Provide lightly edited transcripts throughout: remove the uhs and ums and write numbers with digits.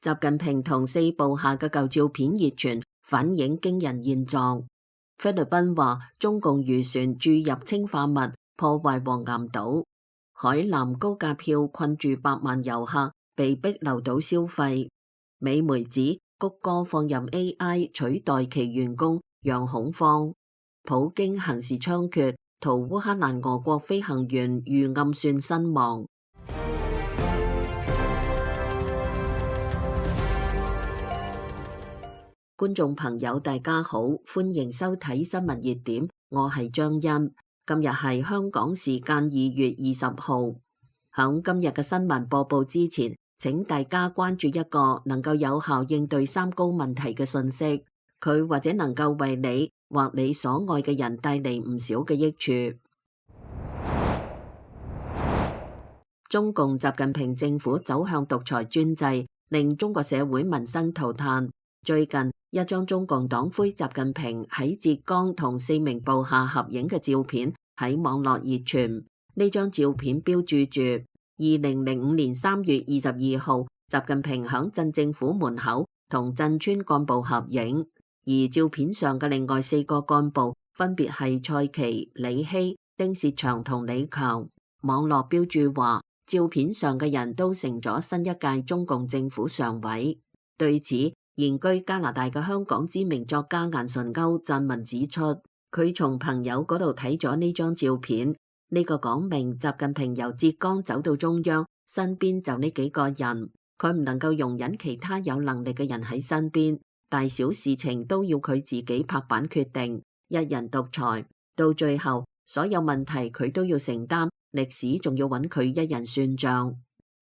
習近平同四部下嘅舊照片熱傳，反映驚人現狀。菲律賓話中共漁船注入氰化物，破壞黃岩島。海南高價票困住百萬遊客，被逼留島消費。美媒指谷歌放任 AI 取代其員工，讓恐慌。普京行事猖獗，逃烏克蘭俄國飛行員遇暗算身亡。觀眾朋友大家好，歡迎收睇新聞熱點，我係張欣。今日係香港時間2月20號。響今日嘅新聞播報之前，請大家關注一個能夠有效應對三高問題嘅信息，佢或者能夠為你或你所愛嘅人帶嚟唔少嘅益處。中共習近平政府走向獨裁專制，令中國社會民生塗炭。最近一張中共黨魁習近平喺浙江同4名部下合影嘅照片喺網絡熱傳。呢張照片標註住2005年3月22號，習近平響鎮政府門口同鎮村幹部合影。而照片上嘅另外4個幹部分別係蔡奇、李希、丁薛祥同李強。網絡標註話，照片上嘅人都成咗新一屆中共政府常委。對此，現居加拿大嘅香港知名作家顏純鈎撰文指出，佢從朋友嗰度睇咗呢張照片，呢個講明習近平由浙江走到中央，身邊就呢幾個人，佢唔能夠容忍其他有能力嘅人喺身邊，大小事情都要佢自己拍板決定，一人獨裁，到最後所有問題佢都要承擔，歷史仲要揾佢一人算賬。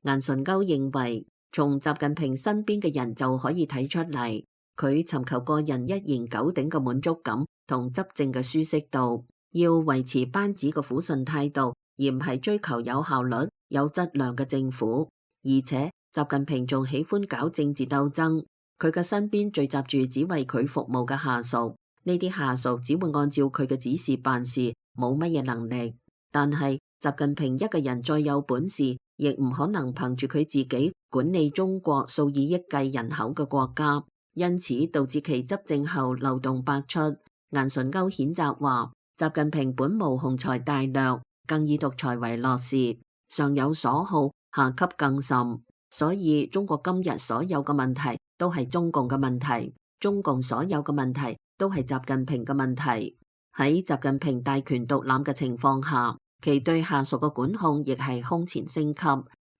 顏純鈎認為，從習近平身邊嘅人就可以睇出嚟，佢尋求個人一言九鼎嘅滿足感同執政嘅舒適度，要維持班子嘅撫順態度，而唔係追求有效率、有質量嘅政府。而且習近平仲喜歡搞政治鬥爭，佢嘅身邊聚集住只為佢服務嘅下屬，呢啲下屬只會按照佢嘅指示辦事，冇乜嘢能力。但係習近平一個人再有本事，亦唔可能憑住佢自己管理中國數以億計人口嘅國家，因此導致其執政後漏洞百出。顏純鈎譴責話，習近平本無雄才大略，更以獨裁為樂事，上有所好，下級更甚。所以中國今日所有嘅問題都係中共嘅問題，中共所有嘅問題都係習近平嘅問題。喺習近平大權獨攬嘅情況下，其對下屬嘅管控亦係空前升級。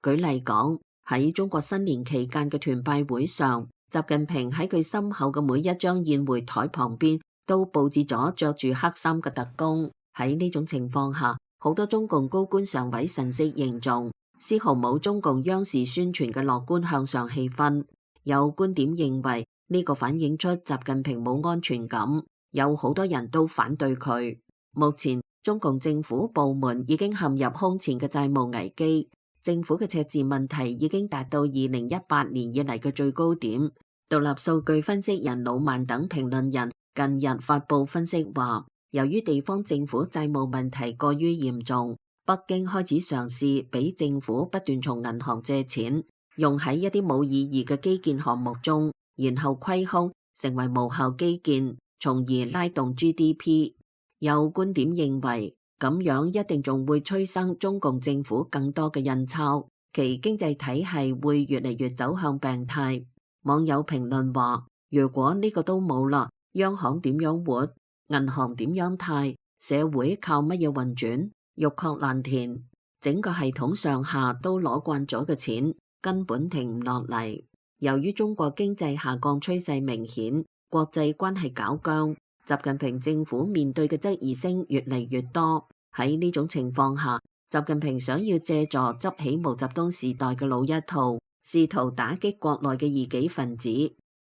舉例講，喺中國新年期間嘅團拜會上，習近平喺佢身後嘅每一張宴會台旁邊都佈置咗着住黑衫嘅特工。喺呢種情況下，好多中共高官常委神色凝重，絲毫冇中共央視宣傳嘅樂觀向上氣氛。有觀點認為呢個反映出習近平冇安全感，有好多人都反對佢。目前中共政府部門已經陷入空前嘅債務危機，政府嘅赤字問題已經達到2018年以嚟嘅最高點。獨立數據分析人魯曼等評論人近日發布分析話，由於地方政府債務問題過於嚴重，北京開始嘗試俾政府不斷從銀行借錢，用喺一啲冇意義嘅基建項目中，然後虧空，成為無效基建，從而拉動 GDP。有觀點認為，咁樣一定仲會催生中共政府更多嘅印鈔，其經濟體系會越嚟越走向病態。網友評論話，如果呢個都冇啦，央行點樣活？銀行點樣貸？社會靠乜嘢運轉？欲壑難填，整個系統上下都攞慣咗嘅錢，根本停唔落嚟。由於中國經濟下降趨勢明顯，國際關係搞僵，習近平政府面對嘅質疑聲越嚟越多。喺呢種情況下，習近平想要借助執起毛澤東時代嘅老一套，試圖打擊國內嘅異己分子。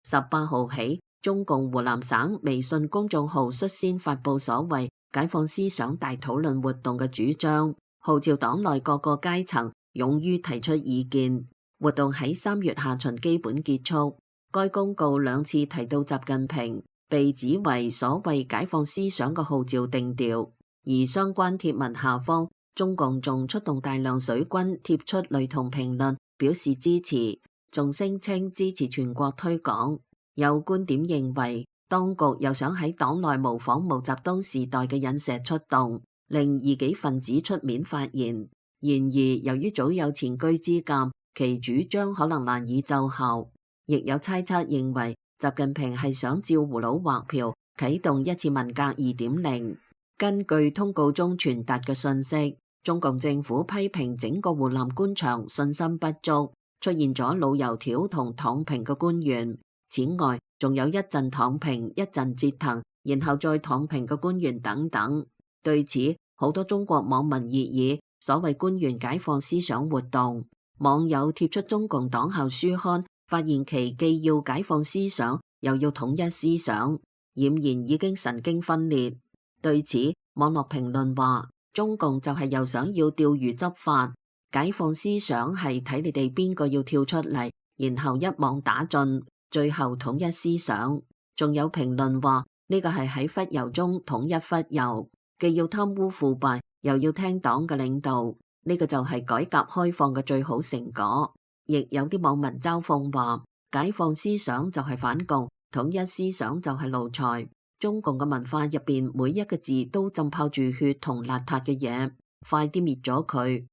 18號起，中共湖南省微信公眾號率先發布所謂解放思想大討論活動嘅主張，號召黨內各個階層勇於提出意見。活動喺3月下旬基本結束。該公告2次提到習近平，被指為所謂解放思想嘅號召定調，而相關貼文下方，中共仲出動大量水軍貼出雷同評論，表示支持。仲聲稱支持全國推廣。有觀點認為，當局又想喺黨內模仿毛澤東時代嘅引蛇出洞，令異己分子出面發言。然而，由於早有前車之鑑，其主張可能難以奏效。亦有猜測認為，習近平係想照葫蘆畫瓢，啟動一次文革2.0。根據通告中傳達嘅信息，中共政府批評整個湖南官場信心不足，出現咗老油條同躺平嘅官員。此外，仲有一陣躺平，一陣折騰，然後再躺平嘅官員等等。對此，好多中國網民熱議所謂官員解放思想活動。網友貼出中共黨校書刊，發現其既要解放思想，又要統一思想，儼然已經神經分裂。對此，網絡評論話，中共就係又想要釣魚執法，解放思想係睇你哋邊個要跳出嚟，然後一網打盡，最後統一思想。仲有評論話，呢個係喺忽悠中統一忽悠，既要貪污腐敗，又要聽黨嘅領導，呢個就係改革開放嘅最好成果。亦有啲網民嘲諷話，解放思想就係反共，統一思想就係奴才。中共嘅文化入邊每一個字都浸泡住血同邋遢嘅嘢，快啲滅咗佢。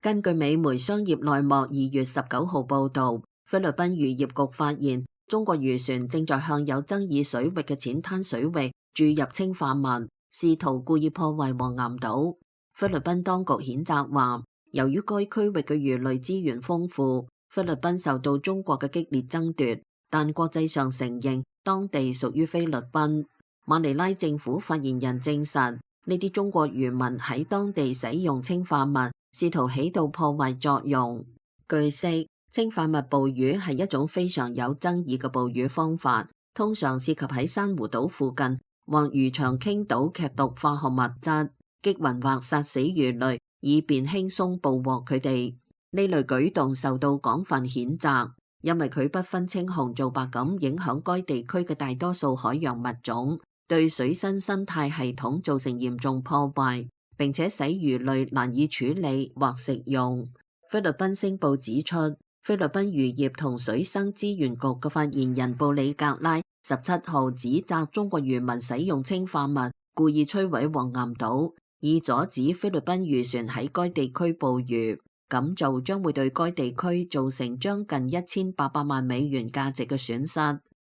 根據美媒商業內幕2月19號報導，菲律賓漁業局發現中國漁船正在向有爭議水域嘅淺灘水域注入氰化物，試圖故意破壞黃岩島。菲律賓當局譴責話，由於該區域嘅魚類資源豐富，菲律賓受到中國嘅激烈爭奪，但國際上承認當地屬於菲律賓。馬尼拉政府發言人證實，呢啲中國漁民喺當地使用氰化物，試圖起到破壞作用。據悉，氰化物捕魚係一種非常有爭議嘅捕魚方法，通常涉及喺珊瑚島附近或漁場傾倒劇毒化學物質，擊暈或殺死魚類，以便輕鬆捕獲佢哋。呢類舉動受到廣泛譴責，因為佢不分青紅皂白咁影響該地區嘅大多數海洋物種，對水生生態系統造成嚴重破壞，並且使魚類難以處理或食用。菲律賓星報指出，菲律賓漁業同水生資源局嘅發言人布里格拉17號指責中國漁民使用氰化物，故意摧毀黃岩島，以阻止菲律賓漁船喺該地區捕魚。咁做將會對該地區造成將近1800萬美元價值嘅損失。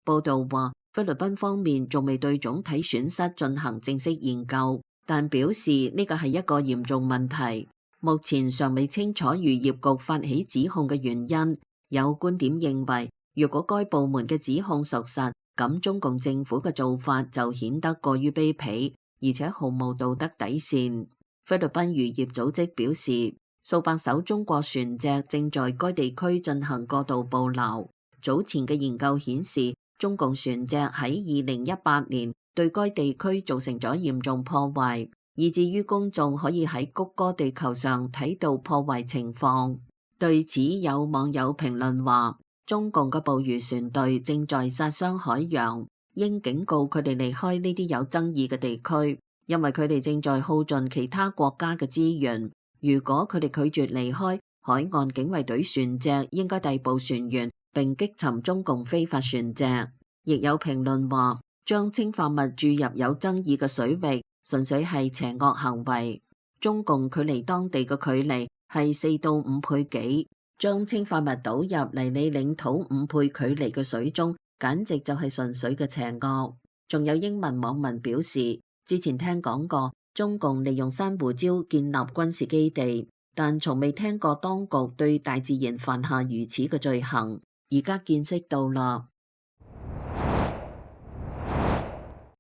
報道話，菲律賓方面仲未對總體損失進行正式研究，但表示呢個係一個嚴重問題。目前尚未清楚漁業局發起指控嘅原因。有觀點認為，如果該部門嘅指控屬實，咁中共政府嘅做法就顯得過於卑鄙，而且毫無道德底線。菲律賓漁業組織表示，數百艘中國船隻正在該地區進行過度捕撈。早前嘅研究顯示，中共船隻喺2018年對該地區造成咗嚴重破壞，以至於公眾可以喺谷歌地球上睇到破壞情況。對此，有網友評論話，中共嘅捕魚船隊正在殺傷海洋，應警告佢哋離開呢啲有爭議嘅地區，因為佢哋正在耗盡其他國家嘅資源。如果佢哋拒絕離開，海岸警衛隊船隻應該逮捕船員並擊沉中共非法船隻。亦有評論話，將氰化物注入有爭議嘅水域，純粹係邪惡行為。中共距離當地嘅距離係4到5倍幾，將氰化物倒入離你領土5倍距離嘅水中，簡直就係純粹嘅邪惡。仲有英文網民表示，之前聽講過中共利用珊瑚礁建立軍事基地，但從未聽過當局對大自然犯下如此嘅罪行，而家見識到啦。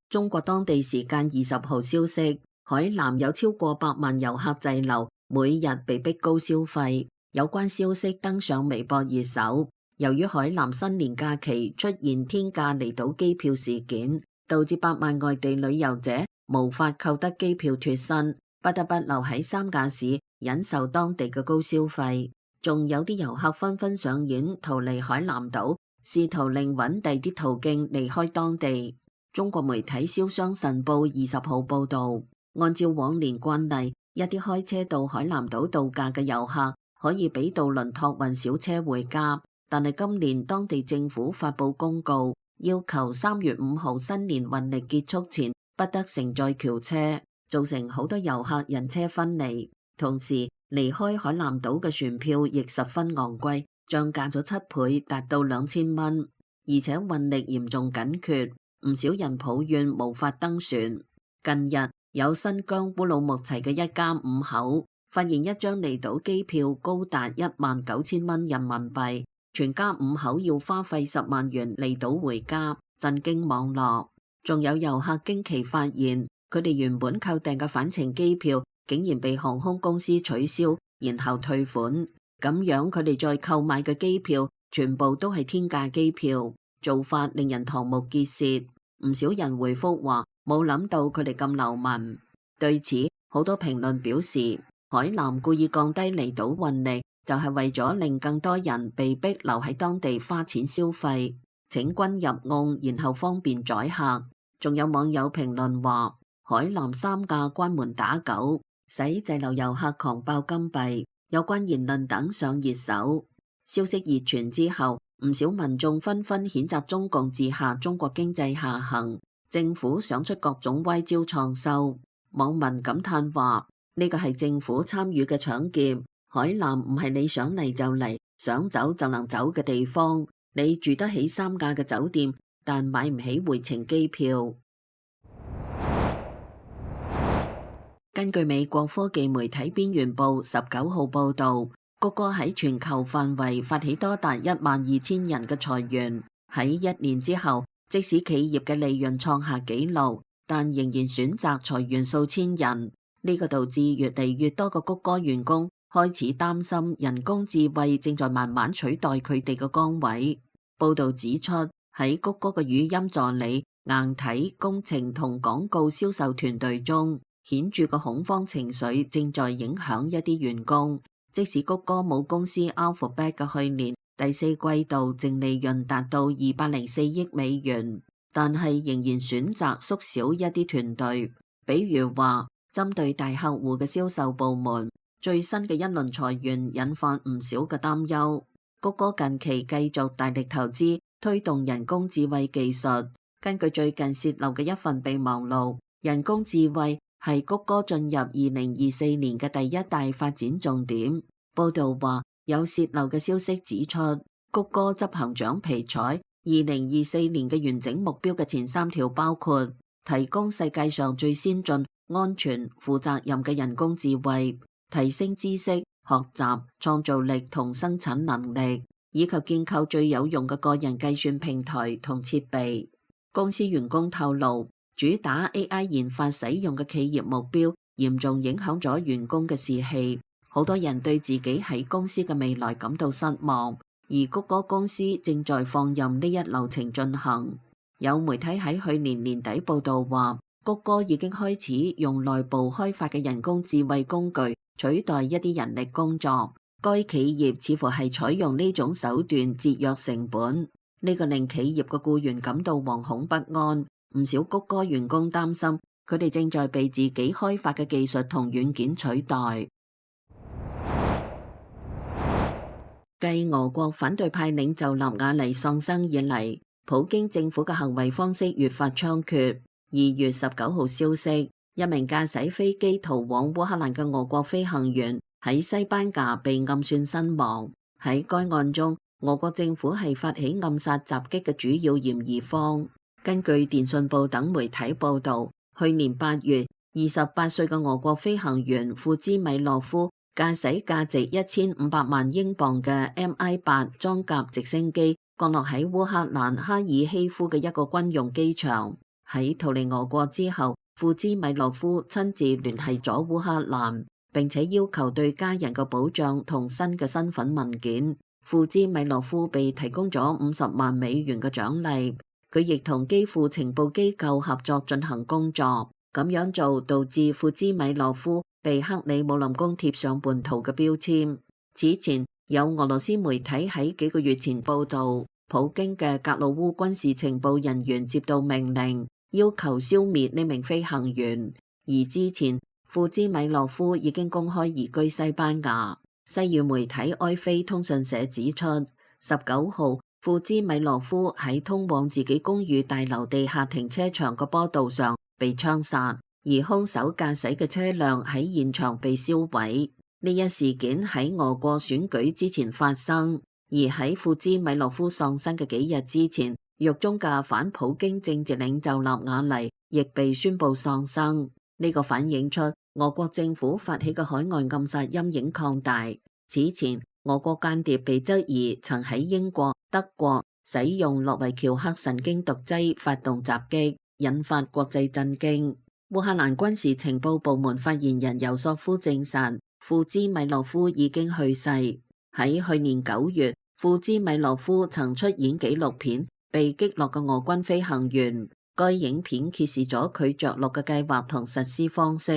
中國當地時間20號消息，海南有超過100萬遊客滯留，每日被逼高消費。有關消息登上微博熱搜。由於海南新年假期出現天價離島機票事件，導致百萬外地旅遊者無法購得機票脫身，不得不留喺三亞市忍受當地嘅高消費。仲有啲遊客紛紛上演逃離海南島，試圖另揾第啲途徑離開當地。中國媒體《瀟湘晨報》20號報導，按照往年慣例，一啲開車到海南島度假嘅遊客可以俾渡輪託運小車回家，但係今年當地政府發布公告，要求3月5號新年運力結束前不得乘載轎車，造成好多遊客人車分離。同時，離開海南島嘅船票亦十分昂貴，漲價咗7倍，達到2000蚊，而且運力嚴重緊缺，唔少人抱怨無法登船。近日，有新疆烏魯木齊嘅一家5口發現一張離島機票高達19000蚊人民幣，全家5口要花費10萬元離島回家，震驚網絡。仲有遊客驚奇發現，佢哋原本購訂嘅返程機票竟然被航空公司取消，然後退款，咁樣佢哋再購買嘅機票全部都係天價機票，做法令人瞠目結舌。唔少人回覆話冇諗到佢哋咁流氓。對此，好多評論表示，海南故意降低離島運力，就係為咗令更多人被逼留喺當地花錢消費，請君入瓮，然後方便宰客。仲有網友評論話，海南3架關門打狗，使滯留遊客狂爆金幣，有關言論等上熱搜。消息熱傳之後，唔少民眾紛紛譴責中共治下中國經濟下行，政府想出各種歪招創收。網民感嘆話，呢個係政府參與嘅搶劫，海南唔係你想嚟就嚟，想走就能走嘅地方。你住得起3架嘅酒店，但買唔起回程機票。根據美國科技媒體邊緣報19號報導，谷歌喺全球範圍發起多達12000人嘅裁員。喺1年之後，即使企業嘅利潤創下紀錄，但仍然選擇裁員數千人。呢個導致越嚟越多嘅谷歌員工開始擔心人工智慧正在慢慢取代佢哋嘅崗位。報導指出，喺谷歌嘅語音助理、硬體、工程同廣告銷售團隊中，顯著嘅恐慌情緒正在影響一啲員工。即使谷歌母公司 Alphabet 嘅去年第4季度淨利潤達到204億美元，但係仍然選擇縮小一啲團隊。比如話，針對大客戶嘅銷售部門，最新嘅一輪裁員引發唔少嘅擔憂。谷歌近期繼續大力投資推動人工智慧技術。根據最近洩漏嘅一份備忘錄，人工智慧係谷歌進入2024年嘅第一大發展重點。報道話，有洩漏嘅消息指出，谷歌執行長皮採2024年嘅完整目標嘅前3條包括提供世界上最先進、安全、負責任嘅人工智慧，提升知識、學習、創造力同生產能力，以及建構最有用嘅個人計算平台同設備。公司員工透露，主打 AI 研發使用嘅企業目標嚴重影響咗員工嘅士氣，好多人對自己喺公司嘅未來感到失望，而谷歌公司正在放任呢一流程進行。有媒體喺去年年底報道話，谷歌已經開始用內部開發嘅人工智慧工具取代一啲人力工作，該企業似乎係採用呢種手段節約成本，呢個令企業嘅僱員感到惶恐不安。唔少谷歌員工擔心，佢哋正在被自己開發嘅技術同軟件取代。繼俄國反對派領袖納瓦尼喪生以嚟，普京政府嘅行為方式越發猖獗。2月19號消息，一名駕駛飛機逃往烏克蘭嘅俄國飛行員喺西班牙被暗算身亡。喺該案中，俄國政府係發起暗殺襲擊嘅主要嫌疑方。根據電訊報等媒體報導，去年8月，28歲嘅俄國飛行員庫茲米諾夫駕駛價值1500萬英鎊嘅 Mi-8裝甲直升機降落喺烏克蘭哈爾希夫嘅一個軍用機場。喺逃離俄國之後，庫茲米諾夫親自聯繫咗烏克蘭，並且要求對家人嘅保障同新嘅身份文件。庫茲米諾夫被提供咗50萬美元嘅獎勵。佢亦同基輔情報機構合作進行工作，咁樣做導致庫茲米諾夫被克里姆林宮貼上叛徒嘅標籤。此前有俄羅斯媒體喺幾個月前報道，普京嘅格魯烏軍事情報人員接到命令，要求消滅呢名飛行員，而之前庫茲米諾夫已經公開移居西班牙。西語媒體埃菲通訊社指出，19號，庫茲米諾夫喺通往自己公寓大樓地下停車場嘅坡道上被槍殺，而兇手駕駛嘅車輛喺現場被燒毀。呢一事件喺俄國選舉之前發生，而喺庫茲米諾夫喪生嘅幾日之前，獄中嘅反普京政治領袖納瓦尼亦被宣布喪生。呢個反映出俄國政府發起嘅海外暗殺陰影擴大。此前，俄國間諜被質疑曾喺英國、德國使用諾維喬克神經毒劑發動襲擊，引發國際震驚。烏克蘭軍事情報部門發言人尤索夫證實，庫茲米諾夫已經去世。喺去年9月，庫茲米諾夫曾出演紀錄片《被擊落嘅俄軍飛行員》，該影片揭示咗佢着陸嘅計劃同實施方式。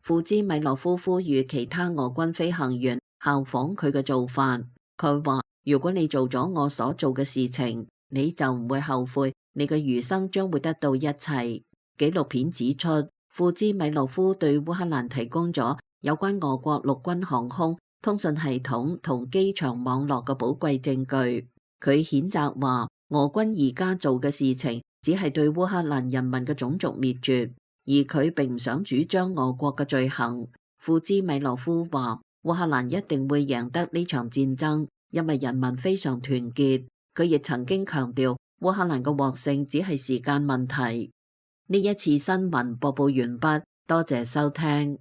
庫茲米諾夫呼籲其他俄軍飛行員效仿佢嘅做法。佢話：如果你做咗我所做嘅事情，你就唔會後悔，你嘅餘生將會得到一切。紀錄片指出，庫茲米諾夫對烏克蘭提供咗有關俄國陸軍航空、通訊系統同機場網絡嘅寶貴證據。佢譴責話，俄軍而家做嘅事情只係對烏克蘭人民嘅種族滅絕，而佢並唔想主張俄國嘅罪行。庫茲米諾夫話，烏克蘭一定會贏得呢場戰爭，因為人民非常團結。佢亦曾經強調，烏克蘭嘅獲勝只係時間問題。呢一次新聞播報完畢，多謝收聽。